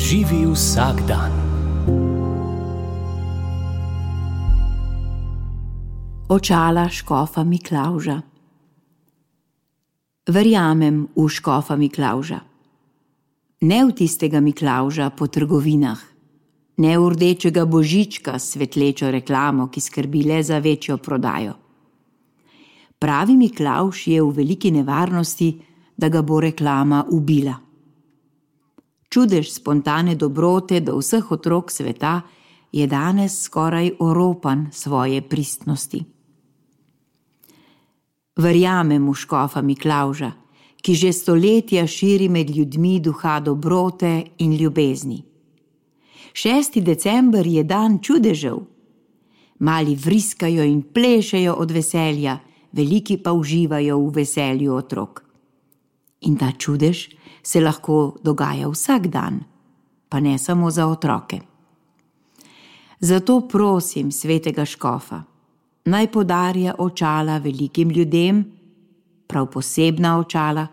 Živi vsak dan. Očala škofa Miklavža. Verjamem v škofa Miklavža. Ne v tistega Miklavža po trgovinah, ne v rdečega božička s svetlečo reklamo, ki skrbi le za večjo prodajo. Pravi Miklavž je v veliki nevarnosti, da ga bo reklama ubila. Čudež spontane dobrote do vseh otrok sveta je danes skoraj oropan svoje pristnosti. Verjamem v škofa Miklavža, ki že stoletja širi med ljudmi duha dobrote in ljubezni. 6. december je dan čudežev. Mali vriskajo in plešejo od veselja, veliki pa uživajo v veselju otrok. In ta čudež se lahko dogaja vsak dan, pa ne samo za otroke. Zato prosim svetega škofa, naj podarja očala velikim ljudem, prav posebna očala,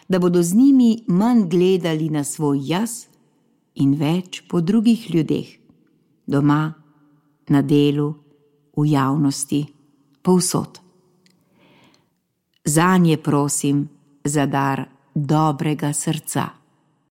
da bodo z njimi manj gledali na svoj jaz in več po drugih ljudeh, doma, na delu, v javnosti, povsod. Zanje prosim za dar dobrega srca.